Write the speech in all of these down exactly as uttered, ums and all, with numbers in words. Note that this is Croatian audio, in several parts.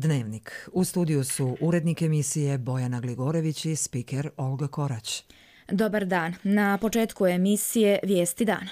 Dnevnik. U studiju su urednik emisije Bojana Gligorević i spiker Olga Korać. Dobar dan. Na početku emisije Vijesti dana.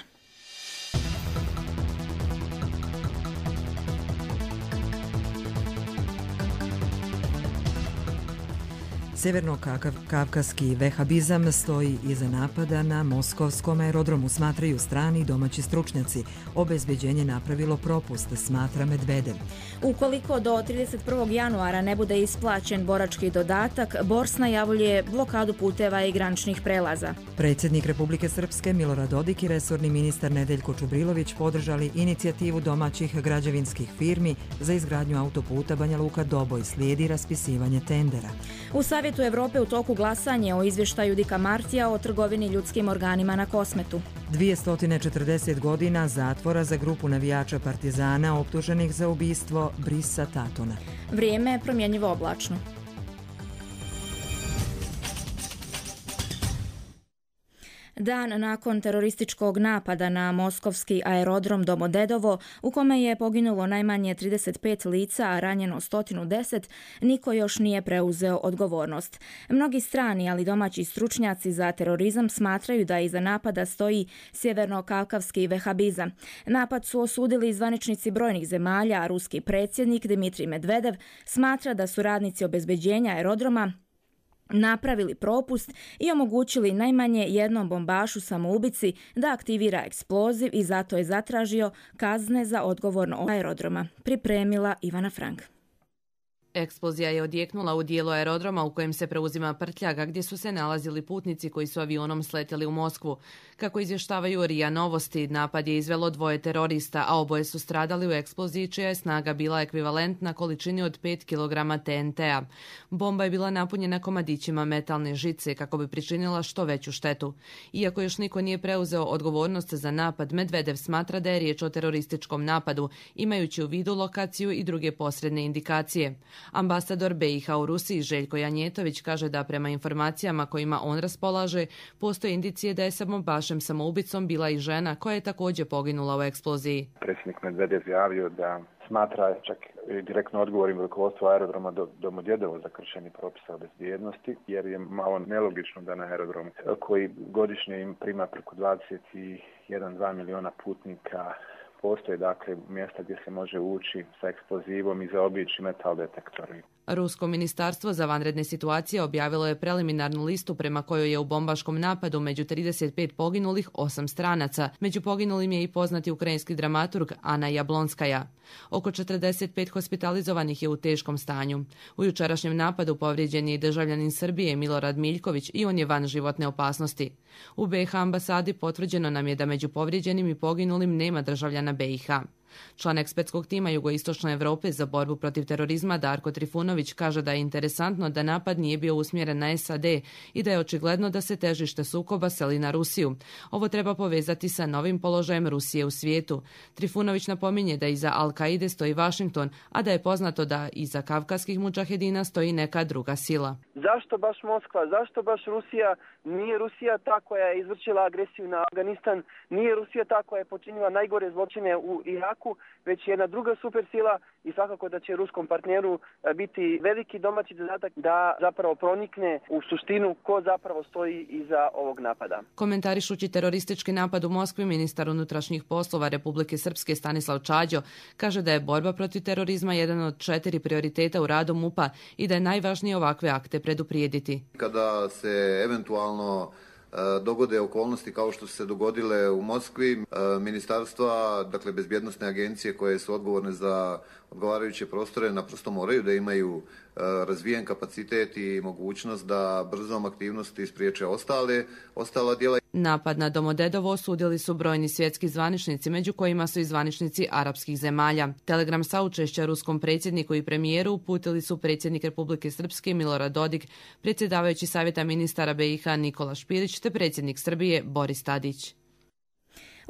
Severno-kavkaski vehabizam stoji iza napada na moskovskom aerodromu, smatraju strani i domaći stručnjaci. Obezbeđenje napravilo propust, smatra Medvedev. Ukoliko do trideset prvog januara ne bude isplaćen borački dodatak, Bors najavljuje blokadu puteva i graničnih prelaza. Predsjednik Republike Srpske Milorad Dodik i resorni ministar Nedeljko Čubrilović podržali inicijativu domaćih građevinskih firmi za izgradnju autoputa Banja Luka-Doboj, slijedi raspisivanje tendera. U Savjetu Evrope u toku glasanje o izvještaju Dika Martija o trgovini ljudskim organima na Kosmetu. dvjesto četrdeset godina zatvora za grupu navijača Partizana optuženih za ubistvo Brisa Tatona. Vrijeme je promjenjivo oblačno. Dan nakon terorističkog napada na moskovski aerodrom Domodedovo, u kome je poginulo najmanje trideset pet lica, a ranjeno sto deset, niko još nije preuzeo odgovornost. Mnogi strani, ali domaći stručnjaci za terorizam smatraju da iza napada stoji sjeverno-kavkavski vehabizam. Napad su osudili zvaničnici brojnih zemalja, a ruski predsjednik Dmitrij Medvedev smatra da su radnici obezbeđenja aerodroma napravili propust i omogućili najmanje jednom bombašu samoubici da aktivira eksploziv i zato je zatražio kazne za odgovorno aerodroma. Pripremila Ivana Frank. Eksplozija je odjeknula u dijelu aerodroma u kojem se preuzima prtljaga, gdje su se nalazili putnici koji su avionom sletjeli u Moskvu. Kako izvještavaju R I A Novosti, napad je izvelo dvoje terorista, a oboje su stradali u eksploziji čija je snaga bila ekvivalentna količini od pet kilograma T N T-a. Bomba je bila napunjena komadićima metalne žice kako bi pričinila što veću štetu. Iako još niko nije preuzeo odgovornost za napad, Medvedev smatra da je riječ o terorističkom napadu, imajući u vidu lokaciju i druge posredne indikacije. Ambasador B i H u Rusiji Željko Janjetović kaže da prema informacijama kojima on raspolaže, postoje indicije da je sa bombašem samoubicom bila i žena koja je također poginula u eksploziji. Predsjednik Medvedev javio da smatra čak direktno odgovorim rukovodstvo aerodroma do, Domodedovo za kršenje propisa o bezbjednosti, jer je malo nelogično da na aerodromu koji godišnje im prima preko dvadeset jedan do dva miliona putnika postoje dakle mjesta gdje se može ući sa eksplozivom i zaobići metal detektori. Rusko ministarstvo za vanredne situacije objavilo je preliminarnu listu prema kojoj je u bombaškom napadu među trideset pet poginulih osam stranaca. Među poginulim je i poznati ukrajinski dramaturg Ana Jablonskaja. Oko četrdeset pet hospitalizovanih je u teškom stanju. U jučerašnjem napadu povrijeđen je i državljanin Srbije Milorad Miljković i on je van životne opasnosti. U B i H ambasadi potvrđeno nam je da među povrijeđenim i poginulim nema državljana B i H. Član ekspertskog tima Jugoistočne Europe za borbu protiv terorizma Darko Trifunović kaže da je interesantno da napad nije bio usmjeren na S A D i da je očigledno da se težište sukoba seli na Rusiju. Ovo treba povezati sa novim položajem Rusije u svijetu. Trifunović napominje da iza Al-Kaide stoji Washington, a da je poznato da iza kavkaskih mudžahedina stoji neka druga sila. Zašto baš Moskva? Zašto baš Rusija? Nije Rusija ta koja je izvršila agresiju na Afganistan, nije Rusija ta koja je počinila najgore zločine u Iraku, već jedna druga supersila i svakako da će ruskom partneru biti veliki domaći zadatak da zapravo pronikne u suštinu ko zapravo stoji iza ovog napada. Komentarišući teroristički napad u Moskvi, ministar unutrašnjih poslova Republike Srpske Stanislav Čađo kaže da je borba protiv terorizma jedan od četiri prioriteta u radu M U P-a i da je najvažnije ovakve akte preduprijediti. Kada se eventualno dogode okolnosti kao što su se dogodile u Moskvi, ministarstva, dakle bezbjednosne agencije koje su odgovorne za odgovarajuće prostore naprosto moraju da imaju razvijen kapacitet i mogućnost da brzom aktivnosti spriječe ostale, ostala djela. Napad na Domodedovo osudili su brojni svjetski zvaničnici, među kojima su i zvaničnici arapskih zemalja. Telegram saučešća ruskom predsjedniku i premijeru uputili su predsjednik Republike Srpske Milorad Dodik, predsjedavajući Savjeta ministara B i H Nikola Špirić te predsjednik Srbije Boris Tadić.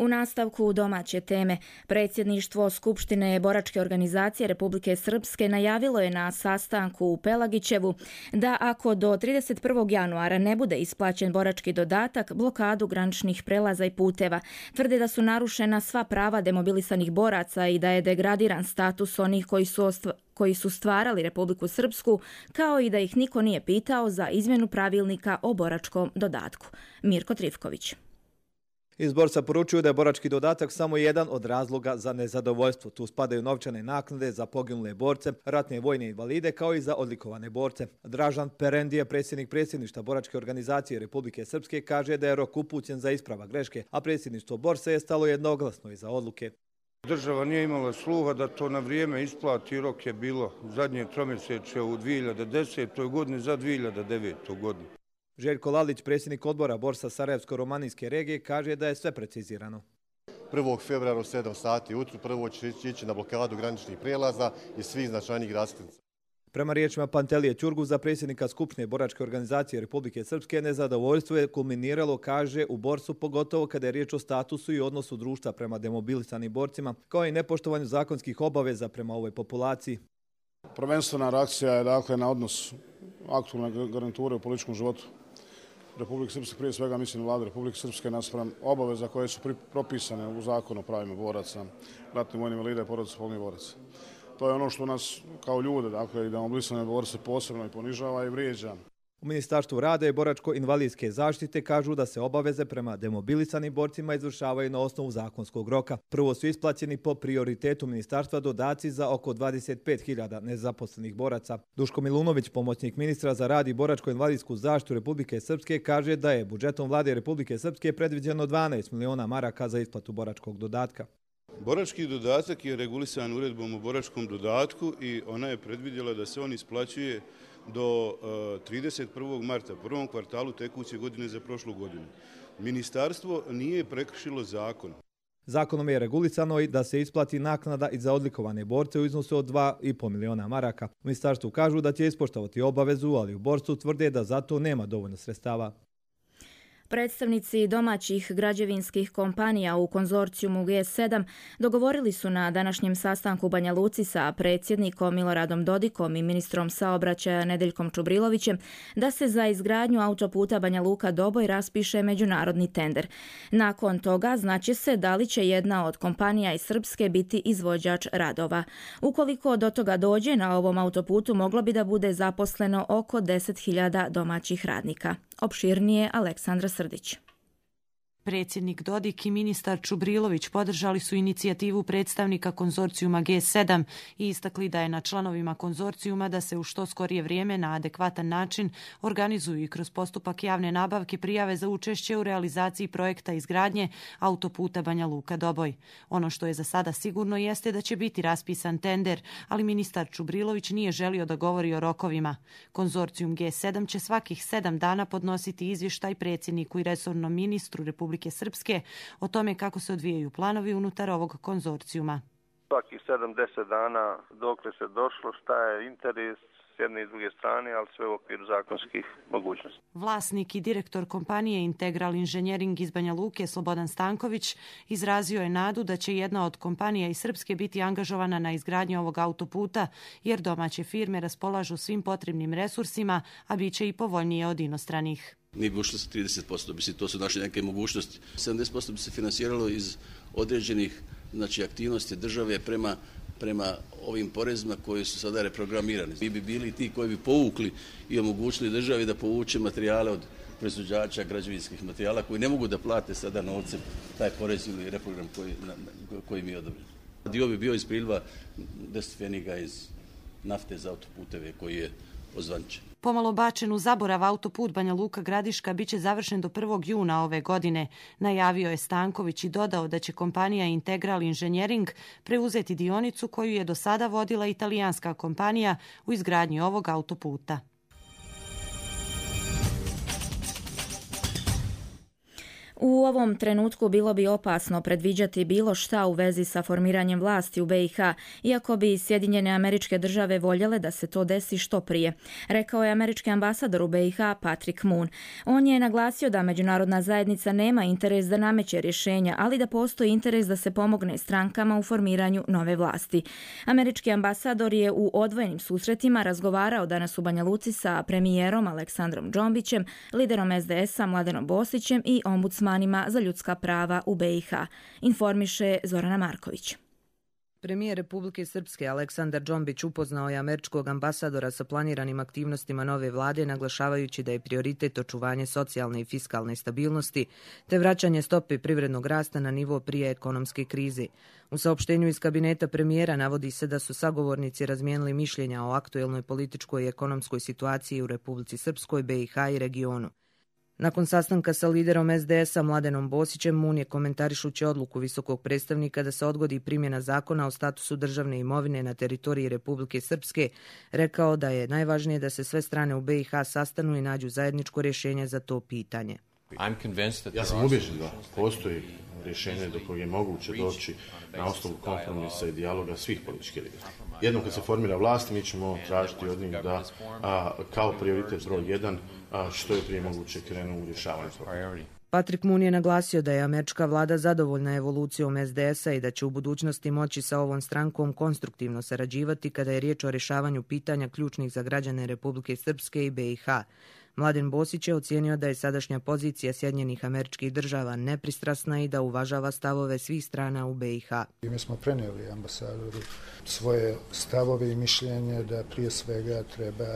U nastavku domaće teme, predsjedništvo Skupštine boračke organizacije Republike Srpske najavilo je na sastanku u Pelagićevu da ako do trideset prvog januara ne bude isplaćen borački dodatak, blokadu graničnih prelaza i puteva. Tvrde da su narušena sva prava demobilisanih boraca i da je degradiran status onih koji su ostva- koji su stvarali Republiku Srpsku, kao i da ih niko nije pitao za izmjenu pravilnika o boračkom dodatku. Mirko Trifković. Iz borca poručuju da je borački dodatak samo jedan od razloga za nezadovoljstvo. Tu spadaju novčane naknade za poginule borce, ratne i vojne invalide, kao i za odlikovane borce. Dražan Perendije, predsjednik predsjedništva boračke organizacije Republike Srpske, kaže da je rok upućen za isprava greške, a predsjedništvo borca je stalo jednoglasno iza odluke. Država nije imala sluha da to na vrijeme isplati, rok je bilo zadnje tromjeseče u dvije hiljade desetoj. godini za dvije hiljade devete. godinu. Željko Lalić, predsjednik odbora borsa Sarajevsko-Romanijske regije, kaže da je sve precizirano. prvog februara u sedam sati ujutro prvo će ići na blokadu graničnih prijelaza i svih značajnih raskrsnica. Prema riječima Pantelije Ćurguza, predsjednika Skupštine boračke organizacije Republike Srpske, nezadovoljstvo je kulminiralo, kaže, u borsu, pogotovo kada je riječ o statusu i odnosu društva prema demobilisanim borcima, kao i nepoštovanju zakonskih obaveza prema ovoj populaciji. Prvenstvena reakcija je dakle na odnos aktualne garniture u političkom životu Republike Srpske, prije svega mislim vlade Republike Srpske naspram obaveza koje su propisane u zakonu o pravima boraca, ratnih vojnih invalida i porodica poginulih boraca. To je ono što nas kao ljude, dakle i demobilisane borce posebno i ponižava i vrijeđa. U Ministarstvu rada i boračko-invalidske zaštite kažu da se obaveze prema demobilisanim borcima izvršavaju na osnovu zakonskog roka. Prvo su isplaćeni po prioritetu ministarstva dodaci za oko dvadeset pet hiljada nezaposlenih boraca. Duško Milunović, pomoćnik ministra za rad i boračko-invalidsku zaštitu Republike Srpske, kaže da je budžetom vlade Republike Srpske predviđeno dvanaest miliona maraka za isplatu boračkog dodatka. Borački dodatak je regulisan uredbom o boračkom dodatku i ona je predvidjela da se on isplaćuje do trideset prvog marta, prvom kvartalu tekuće godine za prošlu godinu. Ministarstvo nije prekršilo zakon. Zakonom je regulisano i da se isplati naknada i za odlikovane borce u iznosu od dva i pol miliona maraka. U ministarstvu kažu da će ispoštovati obavezu, ali u borcu tvrde da za to nema dovoljno sredstava. Predstavnici domaćih građevinskih kompanija u konzorcijumu G sedam dogovorili su na današnjem sastanku u Banja Luci sa predsjednikom Miloradom Dodikom i ministrom saobraćaja Nedeljkom Čubrilovićem da se za izgradnju autoputa Banja Luka-Doboj raspiše međunarodni tender. Nakon toga znaće se da li će jedna od kompanija iz Srpske biti izvođač radova. Ukoliko do toga dođe, na ovom autoputu moglo bi da bude zaposleno oko deset hiljada domaćih radnika. Opširnije Aleksandra Srdić. Predsjednik Dodik i ministar Čubrilović podržali su inicijativu predstavnika konzorcijuma G sedam i istakli da je na članovima konzorcijuma da se u što skorije vrijeme na adekvatan način organizuju i kroz postupak javne nabavke prijave za učešće u realizaciji projekta izgradnje autoputa Banja Luka-Doboj. Ono što je za sada sigurno jeste da će biti raspisan tender, ali ministar Čubrilović nije želio da govori o rokovima. Konzorcijum G sedam će svakih sedam dana podnositi izvještaj predsjedniku i resornom ministru Republike Republike Srpske o tome kako se odvijaju planovi unutar ovog konzorcijuma. Svakih sedam do deset dana dokle se došlo, šta je interes s jedne i druge strane, ali sve u okviru zakonskih mogućnosti. Vlasnik i direktor kompanije Integral Inženjering iz Banja Luke, Slobodan Stanković, izrazio je nadu da će jedna od kompanija iz Srpske biti angažovana na izgradnju ovog autoputa, jer domaće firme raspolažu svim potrebnim resursima, a bit će i povoljnije od inostranih. Nije bi ušlo sa trideset posto, mislim, to su naše neke mogućnosti. sedamdeset posto bi se finansiralo iz određenih znači, aktivnosti države prema, prema ovim porezima koji su sada reprogramirani. Mi bi bili ti koji bi povukli i omogućili državi da povuče materijale od proizvođača građevinskih materijala koji ne mogu da plate sada novcem taj porez ili reprogram koji, na, koji mi je odobren. Dio bi bio iz priliva deset pfeniga iz nafte za autoputeve koji je ozvaničen. Pomalo bačen u zaborav autoput Banja Luka-Gradiška biće završen do prvog juna ove godine, najavio je Stanković i dodao da će kompanija Integral Inženjering preuzeti dionicu koju je do sada vodila italijanska kompanija u izgradnji ovog autoputa. U ovom trenutku bilo bi opasno predviđati bilo šta u vezi sa formiranjem vlasti u B i H, iako bi Sjedinjene Američke Države voljele da se to desi što prije, rekao je američki ambasador u B i H Patrick Moon. On je naglasio da međunarodna zajednica nema interes da nameće rješenja, ali da postoji interes da se pomogne strankama u formiranju nove vlasti. Američki ambasador je u odvojenim susretima razgovarao danas u Banja Luci sa premijerom Aleksandrom Džombićem, liderom S D S-a Mladenom Bosićem i ombudsmanom za ljudska prava u B i H, informiše Zorana Marković. Premijer Republike Srpske Aleksandar Džombić upoznao je američkog ambasadora sa planiranim aktivnostima nove vlade, naglašavajući da je prioritet očuvanje socijalne i fiskalne stabilnosti te vraćanje stope privrednog rasta na nivo prije ekonomske krize. U saopštenju iz kabineta premijera navodi se da su sagovornici razmijenili mišljenja o aktuelnoj političkoj i ekonomskoj situaciji u Republici Srpskoj, B i H i regionu. Nakon sastanka sa liderom S D S-a Mladenom Bosićem, Moon je komentarišući odluku visokog predstavnika da se odgodi primjena zakona o statusu državne imovine na teritoriji Republike Srpske, rekao da je najvažnije da se sve strane u B i H sastanu i nađu zajedničko rješenje za to pitanje. Ja sam ubjeđen da postoji rješenje do kojeg je moguće doći na osnovu kompromisa i dijaloga svih političkih lidera. Jednom kad se formira vlast, mi ćemo tražiti od njih da a, kao prioritet broj jedan a, što je prije moguće krenu u rješavanje problema. Patrick Moon je naglasio da je američka vlada zadovoljna evolucijom S D S-a i da će u budućnosti moći sa ovom strankom konstruktivno sarađivati kada je riječ o rješavanju pitanja ključnih za građane Republike Srpske i B i H. Mladen Bosić je ocijenio da je sadašnja pozicija Sjedinjenih Američkih Država nepristrasna i da uvažava stavove svih strana u B i H. Mi smo prenijeli ambasadoru svoje stavove i mišljenje da prije svega treba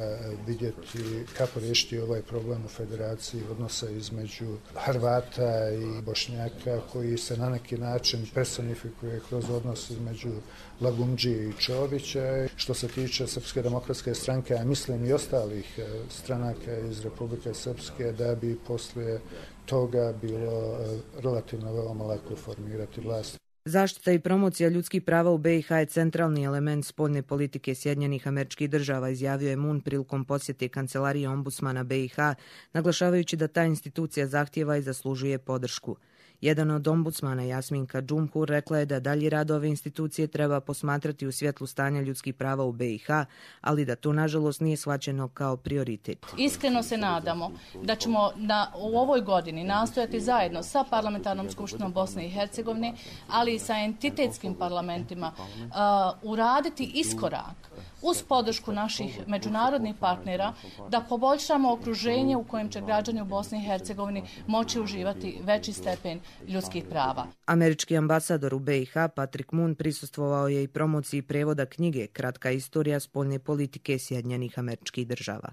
vidjeti kako riješiti ovaj problem u federaciji odnosa između Hrvata i Bošnjaka koji se na neki način personifikuje kroz odnos između Lagumdžije i Čovića. Što se tiče Srpske demokratske stranke, a mislim i ostalih stranaka iz Republike Srpske, da bi poslije toga bilo relativno veoma lako formirati vlast. Zaštita i promocija ljudskih prava u B i H je centralni element spoljne politike Sjedinjenih Američkih Država, izjavio je Moon prilikom posjete kancelarije ombudsmana B i H, naglašavajući da ta institucija zahtijeva i zaslužuje podršku. Jedan od ombudsmana, Jasminka Džumhur, rekla je da dalji rad ove institucije treba posmatrati u svjetlu stanja ljudskih prava u B i H, ali da to nažalost nije shvaćeno kao prioritet. Iskreno se nadamo da ćemo na, u ovoj godini nastojati zajedno sa Parlamentarnom skupštinom Bosne i Hercegovine, ali i sa entitetskim parlamentima uh, uraditi iskorak uz podršku naših međunarodnih partnera da poboljšamo okruženje u kojem će građani u Bosni i Hercegovini moći uživati veći stepen ljudskih prava. Američki ambasador u B i H Patrick Moon prisustvovao je i promociji prevoda knjige Kratka istorija spoljne politike Sjedinjenih Američkih Država.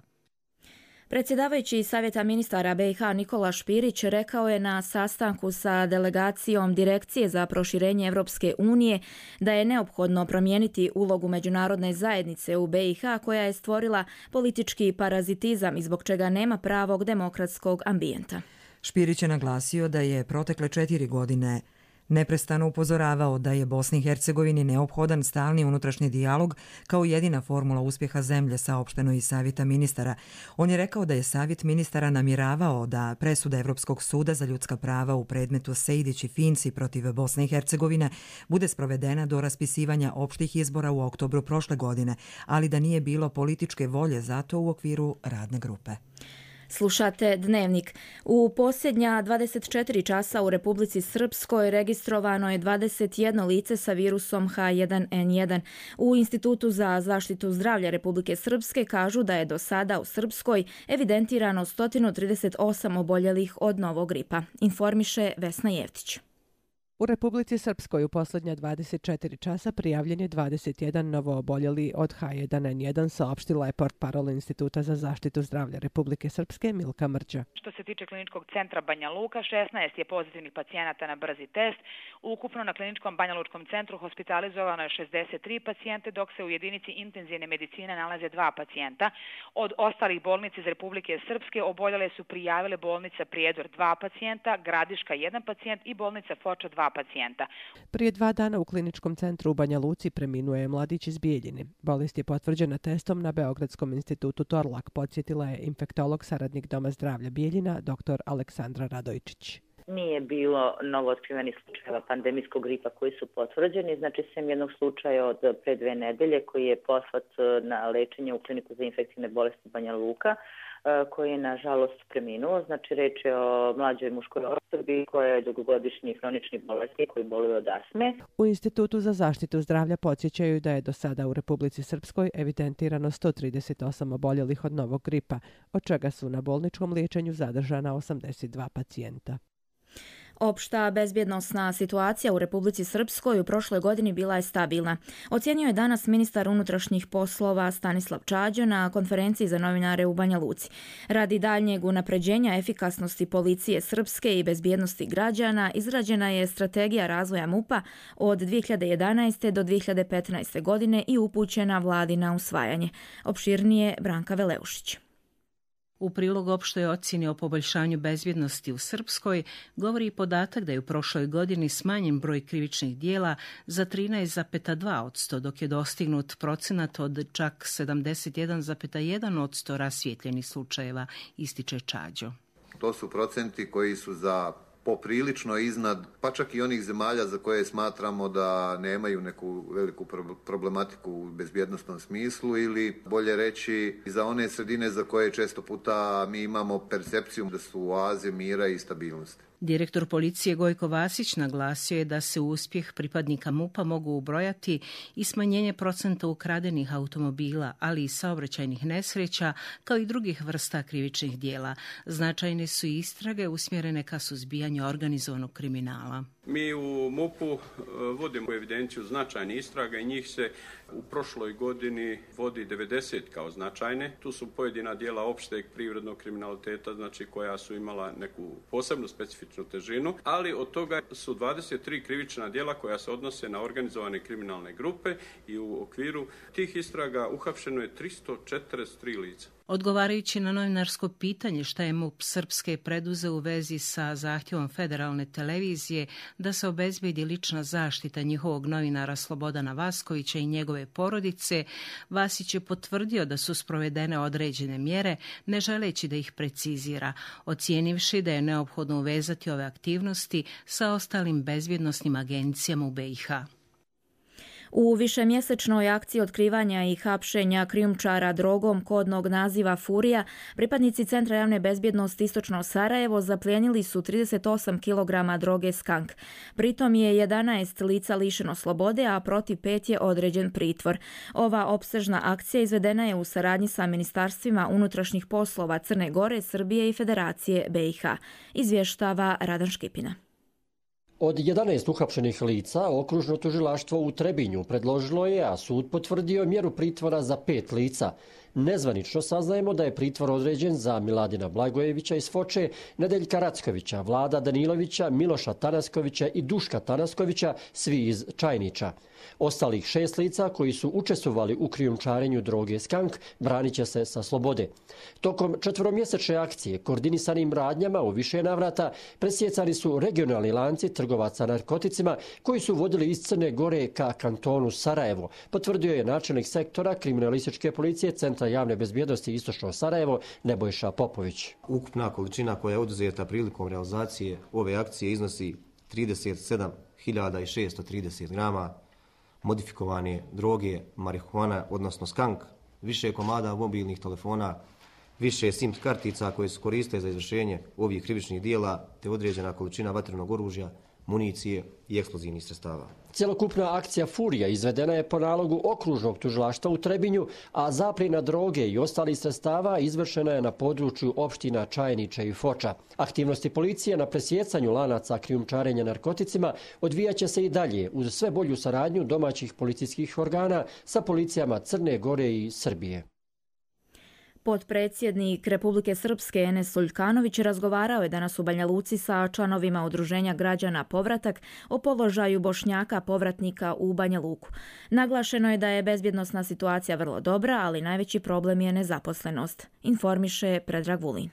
Predsjedavajući Savjeta ministara B i H Nikola Špirić rekao je na sastanku sa delegacijom Direkcije za proširenje Evropske unije da je neophodno promijeniti ulogu međunarodne zajednice u B i H koja je stvorila politički parazitizam i zbog čega nema pravog demokratskog ambijenta. Špirić je naglasio da je protekle četiri godine neprestano upozoravao da je Bosni i Hercegovini neophodan stalni unutrašnji dijalog kao jedina formula uspjeha zemlje, saopšteno iz Savjeta ministara. On je rekao da je Savjet ministara namjeravao da presuda Evropskog suda za ljudska prava u predmetu Sejdić i Finci protiv Bosne i Hercegovine bude sprovedena do raspisivanja opštih izbora u oktobru prošle godine, ali da nije bilo političke volje za to u okviru radne grupe. Slušate Dnevnik. U posljednja dvadeset četiri časa u Republici Srpskoj registrovano je dvadeset jedno lice sa virusom H jedan N jedan. U Institutu za zaštitu zdravlja Republike Srpske kažu da je do sada u Srpskoj evidentirano sto trideset osam oboljelih od novog gripa, informiše Vesna Jevtić. U Republici Srpskoj u posljednja dvadeset četiri časa prijavljen je dvadeset jedan novooboljeli od H jedan N jedan, saopštila je portparol Instituta za zaštitu zdravlja Republike Srpske Milka Mrđa. Što se tiče kliničkog centra Banja Luka, šesnaest je pozitivnih pacijenata na brzi test. Ukupno na kliničkom Banja Lučkom centru hospitalizovano je šezdeset tri pacijente, dok se u jedinici intenzivne medicine nalaze dva pacijenta. Od ostalih bolnica iz Republike Srpske oboljele su prijavile bolnica Prijedor dva pacijenta, Gradiška jedan pacijent i bolnica Foča dva pacijenta. Prije dva dana u kliničkom centru u Banja Luci preminuo je mladić iz Bijeljine. Bolest je potvrđena testom na Beogradskom institutu Torlak, podsjetila je infektolog saradnik Doma zdravlja Bijeljina, dr. Aleksandra Radojčić. Nije bilo novootkrivenih slučajeva pandemijskog gripa koji su potvrđeni, znači sem jednog slučaja od pre dve nedelje koji je poslat na lečenje u kliniku za infektivne bolesti Banja Luka, koji je nažalost preminuo. Znači reč je o mlađoj muškoj osobi koja je dugogodišnji hronični bolesti koji boluje od astme. U Institutu za zaštitu zdravlja podsjećaju da je do sada u Republici Srpskoj evidentirano sto trideset osam oboljelih od novog gripa, od čega su na bolničkom liječenju zadržana osamdeset dva pacijenta. Opšta bezbjednosna situacija u Republici Srpskoj u prošloj godini bila je stabilna. Ocjenio je danas ministar unutrašnjih poslova Stanislav Čađo na konferenciji za novinare u Banja Luci. Radi daljnjeg unapređenja efikasnosti policije Srpske i bezbjednosti građana izrađena je strategija razvoja MUP-a od dvije hiljade jedanaeste do dvije hiljade petnaeste godine i upućena vladi na usvajanje. Opširnije Branka Veleušić. U prilog opštoj ocjeni o poboljšanju bezbjednosti u Srpskoj govori i podatak da je u prošloj godini smanjen broj krivičnih dijela za trinaest zarez dva posto, dok je dostignut procenat od čak sedamdeset jedan zarez jedan posto rasvijetljenih slučajeva, ističe Čađo. To su procenti koji su za poprilično iznad, pa čak i onih zemalja za koje smatramo da nemaju neku veliku problematiku u bezbjednosnom smislu ili bolje reći za one sredine za koje često puta mi imamo percepciju da su oaze mira i stabilnosti. Direktor policije Gojko Vasić naglasio je da se u uspjeh pripadnika MUP-a mogu ubrojati i smanjenje procenta ukradenih automobila, ali i saobraćajnih nesreća, kao i drugih vrsta krivičnih dijela. Značajne su i istrage usmjerene ka suzbijanju organizovanog kriminala. Mi u MUP-u vodimo evidenciju značajnih istraga i njih se u prošloj godini vodi devedeset kao značajne. Tu su pojedina dijela opšteg privrednog kriminaliteta, znači koja su imala neku posebnu specifičnu težinu, ali od toga su dvadeset tri krivična dijela koja se odnose na organizovane kriminalne grupe i u okviru tih istraga uhapšeno je tristo četrdeset tri lica. Odgovarajući na novinarsko pitanje šta je MUP Srpske preduzeo u vezi sa zahtjevom federalne televizije da se obezbedi lična zaštita njihovog novinara Slobodana Vaskovića i njegove porodice, Vasić je potvrdio da su sprovedene određene mjere, ne želeći da ih precizira, ocijenivši da je neophodno uvezati ove aktivnosti sa ostalim bezbjednosnim agencijama u B i H. U višemjesečnoj akciji otkrivanja i hapšenja krijumčara drogom kodnog naziva Furija, pripadnici Centra javne bezbjednosti Istočno Sarajevo zaplijenili su trideset osam kilograma droge skank. Pritom je jedanaest lica lišeno slobode, a protiv pet je određen pritvor. Ova opsežna akcija izvedena je u saradnji sa ministarstvima unutrašnjih poslova Crne Gore, Srbije i Federacije B i H. Izvještava Radan Škipina. Od jedanaest uhapšenih lica, okružno tužilaštvo u Trebinju predložilo je, a sud potvrdio mjeru pritvora za pet lica. Nezvanično saznajemo da je pritvor određen za Miladina Blagojevića iz Foče, Nedeljka Rackovića, Vlada Danilovića, Miloša Tanaskovića i Duška Tanaskovića, svi iz Čajnića. Ostalih šest lica koji su učestvovali u krijumčarenju droge skank branit će se sa slobode. Tokom četvoromjesečne akcije koordinisanim radnjama u više navrata presjecani su regionalni lanci trgovaca narkoticima koji su vodili iz Crne Gore ka kantonu Sarajevo, potvrdio je načelnik sektora kriminalističke policije Centra javne bezbjednosti Istočno Sarajevo Nebojša Popović. Ukupna količina koja je oduzeta prilikom realizacije ove akcije iznosi trideset sedam hiljada šesto trideset grama modifikovane droge, marihuana, odnosno skank, više komada mobilnih telefona, više SIM kartica koje su koriste za izvršenje ovih krivičnih dijela, te određena količina vatrenog oružja, municije i eksplozivnih sredstava. Cjelokupna akcija Furija izvedena je po nalogu okružnog tužilaštva u Trebinju, a zapljena droge i ostalih sredstava izvršena je na području opština Čajniče i Foča. Aktivnosti policije na presjecanju lanaca krijumčarenja narkoticima odvijaće se i dalje uz sve bolju saradnju domaćih policijskih organa sa policijama Crne Gore i Srbije. Potpredsjednik Republike Srpske Enes Suljkanović razgovarao je danas u Banja Luci sa članovima Udruženja građana Povratak o položaju Bošnjaka povratnika u Banja Luku. Naglašeno je da je bezbjednosna situacija vrlo dobra, ali najveći problem je nezaposlenost, informiše Predrag Vulin.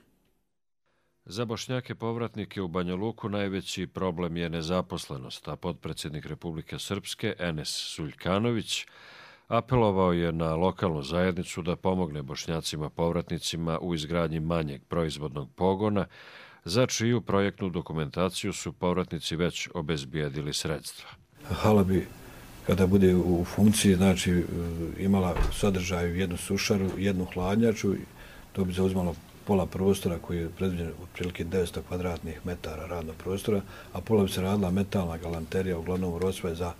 Za Bošnjake povratnike u Banja Luku najveći problem je nezaposlenost, a potpredsjednik Republike Srpske Enes Suljkanović apelovao je na lokalnu zajednicu da pomogne Bošnjacima povratnicima u izgradnji manjeg proizvodnog pogona za čiju projektnu dokumentaciju su povratnici već obezbijedili sredstva. Hala bi, kada bude u funkciji, znači imala sadržaj jednu sušaru, jednu hladnjaču, to bi zauzmalo pola prostora koji je predviđen otprilike devetsto kvadratnih metara radnog prostora, a pola bi se radila metalna galanterija, uglavnom rosve za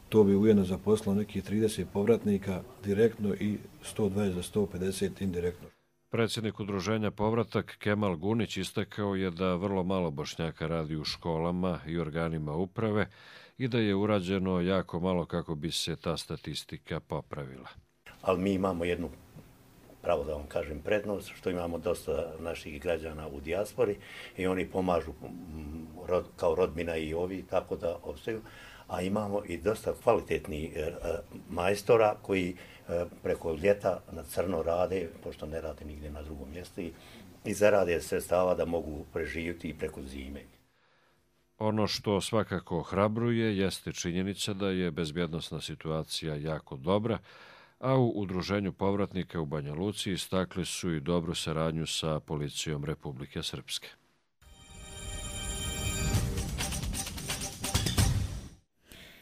to bi ujedno zaposlilo nekih trideset povratnika direktno i sto dvadeset do sto pedeset indirektno. Predsjednik udruženja Povratak Kemal Gunić istakao je da vrlo malo Bošnjaka radi u školama i organima uprave i da je urađeno jako malo kako bi se ta statistika popravila. Ali mi imamo jednu, pravo da vam kažem, prednost, što imamo dosta naših građana u dijaspori i oni pomažu kao rodbina i ovi, tako da ostaju. A imamo i dosta kvalitetnih majstora koji preko ljeta na crno rade, pošto ne rade nigdje na drugom mjestu, i zarade sredstava da mogu preživjeti i preko zime. Ono što svakako ohrabruje jeste činjenica da je bezbjednosna situacija jako dobra, a u Udruženju povratnika u Banja Luci istakli su i dobru saradnju sa policijom Republike Srpske.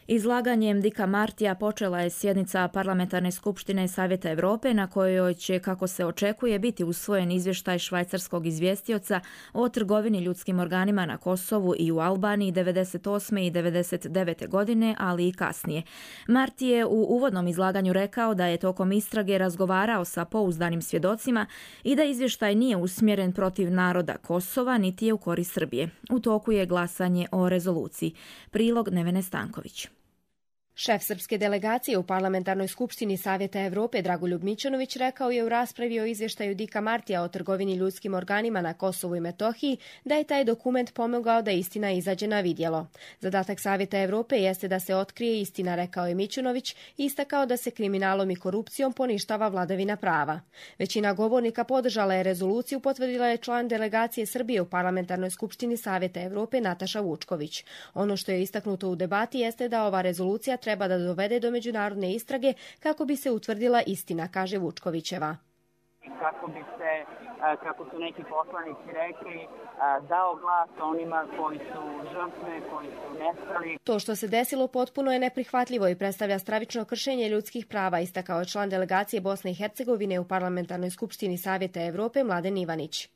Izlaganjem Dika Martija počela je sjednica Parlamentarne skupštine Savjeta Europe na kojoj će, kako se očekuje, biti usvojen izvještaj švajcarskog izvjestioca o trgovini ljudskim organima na Kosovu i u Albaniji devedeset osme i devedeset devete godine, ali i kasnije. Marti je u uvodnom izlaganju rekao da je tokom istrage razgovarao sa pouzdanim svjedocima i da izvještaj nije usmjeren protiv naroda Kosova niti je u korist Srbije. U toku je glasanje o rezoluciji. Prilog Nevene Stanković. Šef srpske delegacije u Parlamentarnoj skupštini Savjeta Europe Dragoljub Mićunović rekao je u raspravi o izvještaju Dika Martija o trgovini ljudskim organima na Kosovu i Metohiji da je taj dokument pomogao da istina izađe na vidjelo. Zadatak Savjeta Europe jeste da se otkrije istina, rekao je Mićunović, i istakao da se kriminalom i korupcijom poništava vladavina prava. Većina govornika podržala je rezoluciju, potvrdila je član delegacije Srbije u Parlamentarnoj skupštini Savjeta Europe Nataša Vučković. Ono što je istaknuto u debati jeste da ova rezolucija treba da dovede do međunarodne istrage kako bi se utvrdila istina, kaže Vučkovićeva. Kako bi se, kako su neki poslanici rekli, dao glas onima koji su žrtve, koji su nestali. To što se desilo potpuno je neprihvatljivo i predstavlja stravično kršenje ljudskih prava, istakao je član delegacije Bosne i Hercegovine u Parlamentarnoj skupštini Savjeta Europe Mladen Ivanić.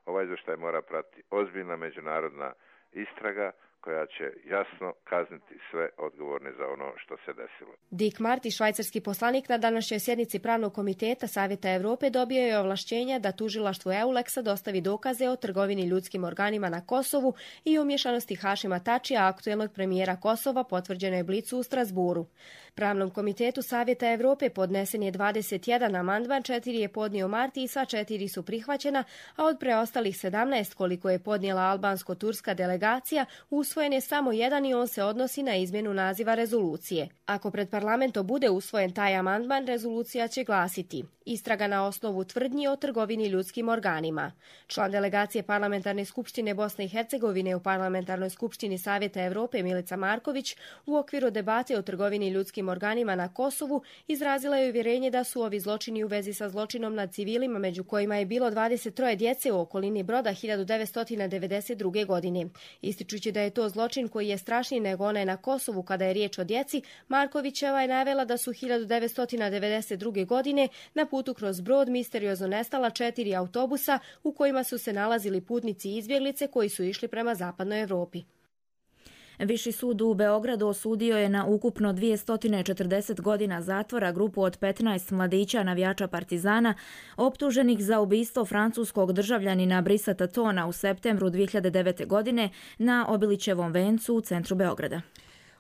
Ovaj izvještaj mora pratiti ozbiljna međunarodna istraga koja će jasno kazniti sve odgovorne za ono što se desilo. Dick Marty, švajcarski poslanik, na današnjoj sjednici Pravnog komiteta Savjeta Europe dobio je ovlašćenja da tužilaštvu Euleksa dostavi dokaze o trgovini ljudskim organima na Kosovu i umješanosti Hašima Tačija, aktuelnog premijera Kosova, potvrđeno je Blicu u Strasburu. Pravnom komitetu Savjeta Europe podnesen je dvadeset jedan amandman, četiri je podnio Marti i sva četiri su prihvaćena, a od preostalih sedamnaest koliko je podnijela albansko-turska delegacija, usvojen je samo jedan i on se odnosi na izmjenu naziva rezolucije. Ako pred parlamentom bude usvojen taj amandman, rezolucija će glasiti: istraga na osnovu tvrdnji o trgovini ljudskim organima. Član delegacije Parlamentarne skupštine Bosne i Hercegovine u Parlamentarnoj skupštini Savjeta Europe Milica Marković u okviru debate o trgovini ljudskim organima na Kosovu izrazila je uvjerenje da su ovi zločini u vezi sa zločinom nad civilima, među kojima je bilo dvadeset troje djece u okolini Broda hiljadu devetsto devedeset druge. godine. Ističući da je to zločin koji je strašniji nego onaj na Kosovu kada je riječ o djeci, Markovićeva je navela da su hiljadu devetsto devedeset druge. godine na putu kroz Brod misteriozno nestala četiri autobusa u kojima su se nalazili putnici i izbjeglice koji su išli prema zapadnoj Europi. Viši sud u Beogradu osudio je na ukupno dvjesto četrdeset godina zatvora grupu od petnaest mladića navijača Partizana optuženih za ubistvo francuskog državljanina Brisa Tatona u septembru dvije hiljade devete. godine na Obilićevom vencu u centru Beograda.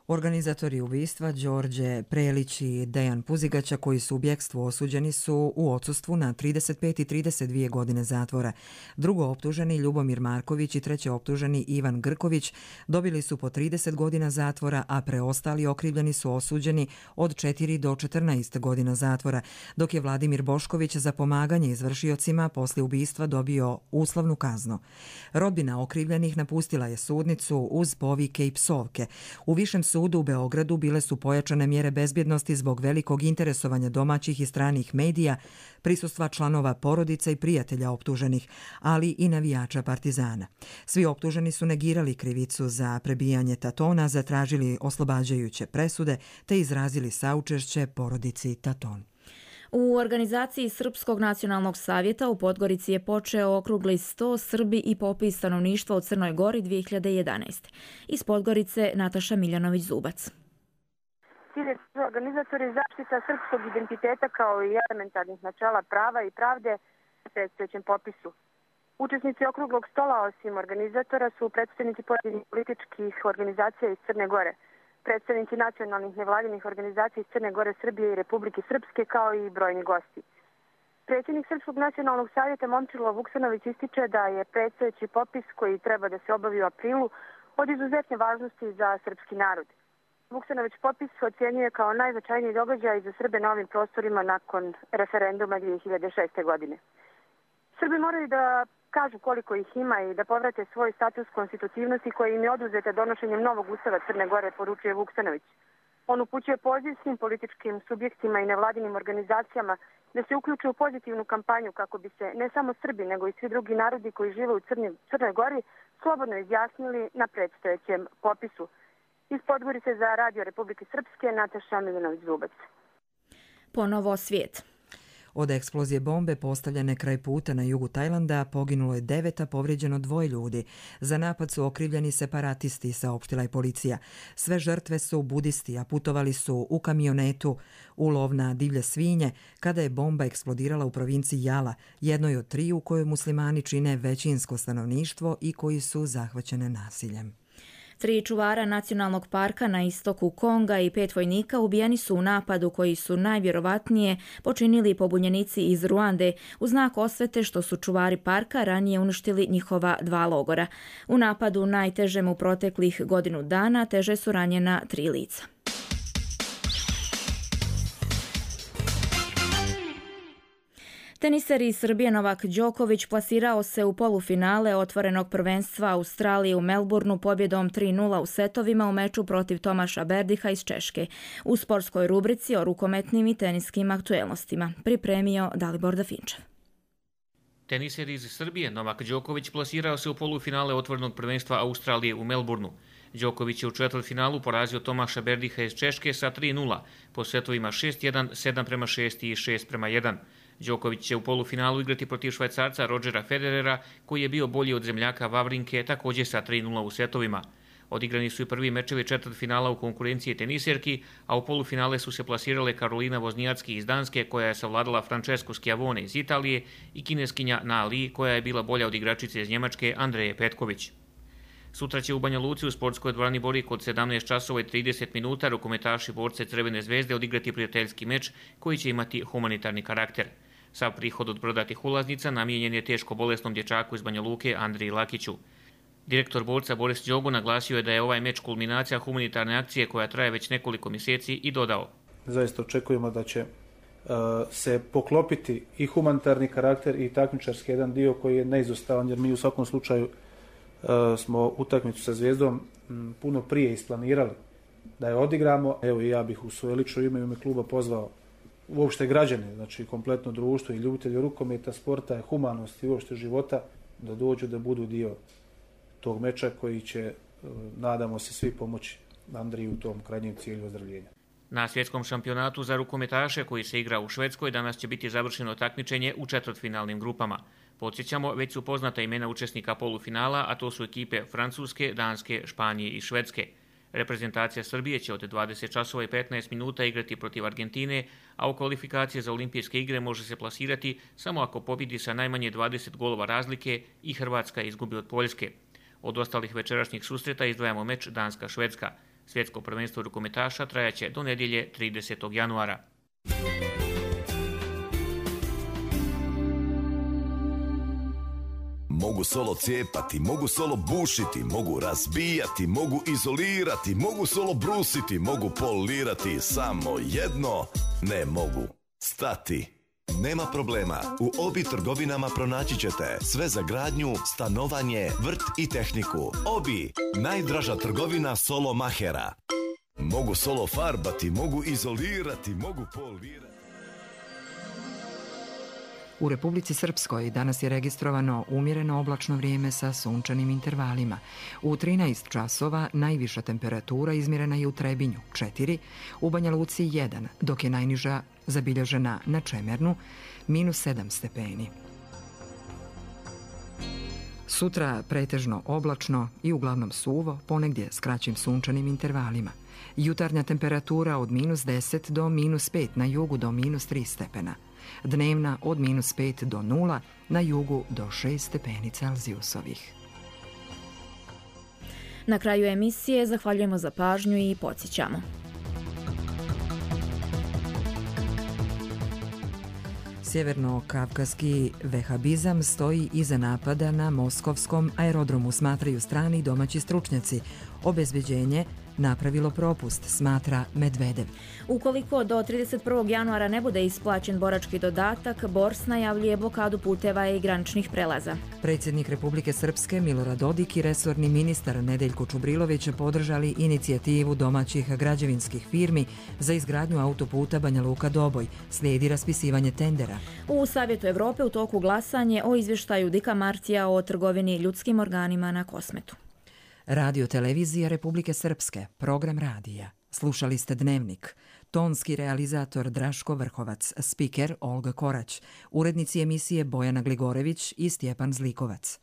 Organizatori ubistva Đorđe Prelić i Dejan Puzigaća, koji su u bjekstvu osuđeni, su u odsustvu na trideset pet i trideset dvije godine zatvora. Drugo optuženi Ljubomir Marković i treće optuženi Ivan Grković dobili su po trideset godina zatvora, a preostali okrivljeni su osuđeni od četiri do četrnaest godina zatvora, dok je Vladimir Bošković za pomaganje izvršiocima poslije ubistva dobio uslovnu kaznu. Rodbina okrivljenih napustila je sudnicu uz povike i psovke. U višem sudu u Beogradu bile su pojačane mjere bezbjednosti zbog velikog interesovanja domaćih i stranih medija, prisustva članova porodica i prijatelja optuženih, ali i navijača Partizana. Svi optuženi su negirali krivicu za prebijanje Tatona, zatražili oslobađajuće presude te izrazili saučešće porodici Taton. U organizaciji Srpskog nacionalnog savjeta u Podgorici je počeo okrugli sto Srbi i popis stanovništva u Crnoj Gori dvije hiljade jedanaeste. Iz Podgorice Nataša Miljanović-Zubac. Cilj su organizatori zaštita srpskog identiteta kao i elementarnih načela prava i pravde u predstojećem popisu. Učesnici okruglog stola osim organizatora su predstavnici pojedinih političkih organizacija iz Crne Gore, predstavnici nacionalnih nevladinih organizacija iz Crne Gore, Srbije i Republike Srpske, kao i brojni gosti. Predsjednik Srpskog nacionalnog savjeta Momčilo Vuksanović ističe da je predstojeći popis koji treba da se obavi u aprilu od izuzetne važnosti za srpski narod. Vuksanović popis ocjenjuje kao najznačajniji događaj za Srbe na ovim prostorima nakon referenduma dvije hiljade šeste. godine. Srbi moraju da kažu koliko ih ima i da povrate svoj status konstitutivnosti koji im je oduzeta donošenjem novog ustava Crne Gore, poručuje Vuksanović. On upućuje poziv svim političkim subjektima i nevladinim organizacijama da se uključe u pozitivnu kampanju kako bi se ne samo Srbi, nego i svi drugi narodi koji žive u Crnoj, Crnoj Gori slobodno izjasnili na predstojećem popisu. Iz Podgorice za Radio Republike Srpske, Nataša Miljanović-Zubac. Ponovo svijet. Od eksplozije bombe postavljene kraj puta na jugu Tajlanda poginulo je devet, a povrijeđeno dvoje ljudi. Za napad su okrivljeni separatisti, saopštila je policija. Sve žrtve su budisti, a putovali su u kamionetu u lov na divlje svinje kada je bomba eksplodirala u provinciji Jala, jednoj od tri u kojoj muslimani čine većinsko stanovništvo i koji su zahvaćene nasiljem. Tri čuvara nacionalnog parka na istoku Konga i pet vojnika ubijeni su u napadu koji su najvjerovatnije počinili pobunjenici iz Ruande u znak osvete što su čuvari parka ranije uništili njihova dva logora. U napadu najtežem u proteklih godinu dana teže su ranjena tri lica. Teniser iz Srbije Novak Đoković plasirao se u polufinale otvorenog prvenstva Australije u Melbourneu pobjedom tri nula u setovima u meču protiv Tomaša Berdiha iz Češke. U sportskoj rubrici o rukometnim i teniskim aktuelnostima pripremio Dalibor Dafinčev. Teniser iz Srbije Novak Đoković plasirao se u polufinale otvorenog prvenstva Australije u Melbourneu. Đoković je u četvrtfinalu porazio Tomaša Berdiha iz Češke sa tri nula po setovima šest jedan, sedam prema šest i šest prema jedan. Đoković će u polufinalu igrati protiv Švajcarca Rodgera Federera, koji je bio bolji od zemljaka Vavrinke, također sa tri nula u setovima. Odigrani su i prvi mečevi četvrtfinala u konkurenciji teniserki, a u polufinale su se plasirale Karolina Voznijacki iz Danske, koja je savladala Francesku Schiavone iz Italije, i kineskinja Na Li, koja je bila bolja od igračice iz Njemačke Andreje Petković. Sutra će u Banja Luci u sportskoj dvorani Borik od sedamnaest časova i trideset minuta rukometaši borce Crvene zvezde odigrati prijateljski meč koji će imati humanitarni karakter. Sav prihod od prodatih ulaznica namijenjen je teško bolesnom dječaku iz Banja Luke Andriji Lakiću. Direktor borca Boris Đogo naglasio je da je ovaj meč kulminacija humanitarne akcije koja traje već nekoliko mjeseci i dodao: Zaista očekujemo da će uh, se poklopiti i humanitarni karakter i takmičarski jedan dio koji je neizostavan, jer mi u svakom slučaju uh, smo utakmicu sa Zvijezdom m, puno prije isplanirali da je odigramo. Evo i ja bih u svoje lično ime i ime kluba pozvao uopšte građane, znači kompletno društvo i ljubitelji rukometa, sporta, humanosti i uopšte života da dođu da budu dio tog meča koji će, nadamo se, svi pomoći Andriji u tom krajnjem cilju ozdravljenja. Na svjetskom šampionatu za rukometaše koji se igra u Švedskoj danas će biti završeno takmičenje u četvrtfinalnim grupama. Podsjećamo, već su poznata imena učesnika polufinala, a to su ekipe Francuske, Danske, Španije i Švedske. Reprezentacija Srbije će od dvadeset časova i petnaest minuta igrati protiv Argentine, a u kvalifikacije za olimpijske igre može se plasirati samo ako pobjedi sa najmanje dvadeset golova razlike i Hrvatska izgubi od Poljske. Od ostalih večerašnjih susreta izdvajamo meč Danska-Švedska. Svjetsko prvenstvo rukometaša trajaće do nedjelje tridesetog januara. Mogu solo cijepati, mogu solo bušiti, mogu razbijati, mogu izolirati, mogu solo brusiti, mogu polirati, samo jedno ne mogu stati. Nema problema, u Obi trgovinama pronaći ćete sve za gradnju, stanovanje, vrt i tehniku. Obi, najdraža trgovina solo mahera. Mogu solo farbati, mogu izolirati, mogu polirati. U Republici Srpskoj danas je registrovano umjereno oblačno vrijeme sa sunčanim intervalima. U trinaest časova najviša temperatura izmjerena je u Trebinju četiri, u Banja Luci jedan, dok je najniža zabilježena na Čemernu minus sedam stepeni. Sutra pretežno oblačno i uglavnom suvo, ponegdje s kraćim sunčanim intervalima. Jutarnja temperatura od minus deset do minus pet, na jugu do minus tri stepena. Dnevna od minus pet do nula, na jugu do šest stepeni Celzijusovih. Na kraju emisije zahvaljujemo za pažnju i podsjećamo. Sjeverno-kavkaski vehabizam stoji iza napada na moskovskom aerodromu, smatraju strani i domaći stručnjaci. Obezbeđenje napravilo propust, smatra Medvedev. Ukoliko do trideset prvog januara ne bude isplaćen borački dodatak, Bors najavljuje blokadu puteva i graničnih prelaza. Predsjednik Republike Srpske Milorad Dodik i resorni ministar Nedeljko Čubrilović podržali inicijativu domaćih građevinskih firmi za izgradnju autoputa Banja Luka-Doboj. Slijedi raspisivanje tendera. U Savjetu Evrope u toku glasanje o izvještaju Dika Martija o trgovini ljudskim organima na Kosmetu. Radio televizija Republike Srpske, program radija. Slušali ste Dnevnik. Tonski realizator Draško Vrhovac, spiker Olga Korać, urednici emisije Bojana Gligorević i Stjepan Zlikovac.